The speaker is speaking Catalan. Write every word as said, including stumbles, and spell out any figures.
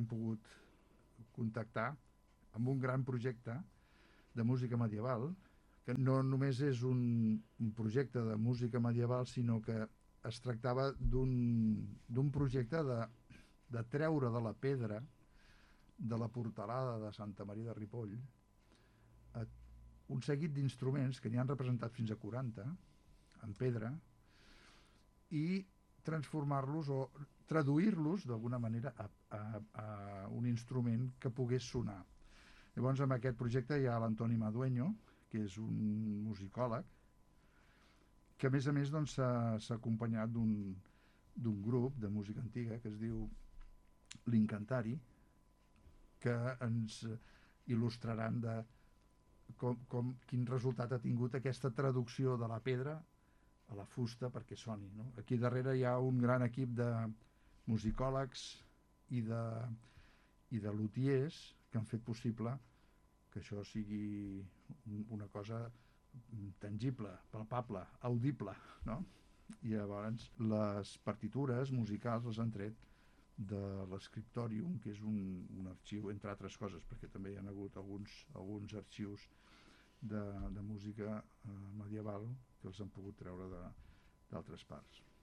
pogut contactar amb un gran projecte de música medieval, que no només és un, un projecte de música medieval, sinó que es tractava d'un projecte de, de treure de la pedra de la portalada de Santa Maria de Ripoll a un seguit d'instruments que n'hi han representat fins a quaranta en pedra i transformar-los o traduir-los d'alguna manera a, a, a un instrument que pogués sonar. Llavors, en aquest projecte hi ha l'Antoni Madueño, que és un musicòleg, que a més a més doncs, s'ha acompanyat d'un grup de música antiga que es diu l'Incantari, que ens il·lustraran de com, com, quin resultat ha tingut aquesta traducció de la pedra a la fusta perquè soni. No? Aquí darrere hi ha un gran equip de musicòlegs i de, i de luthiers que han fet possible que això sigui una cosa tangible, palpable, audible, no? I llavors les partitures musicals les han tret de l'Scriptorium, que és un, un arxiu, entre altres coses, perquè també hi ha hagut alguns, alguns arxius de, de música eh, medieval que els han pogut treure d'altres parts.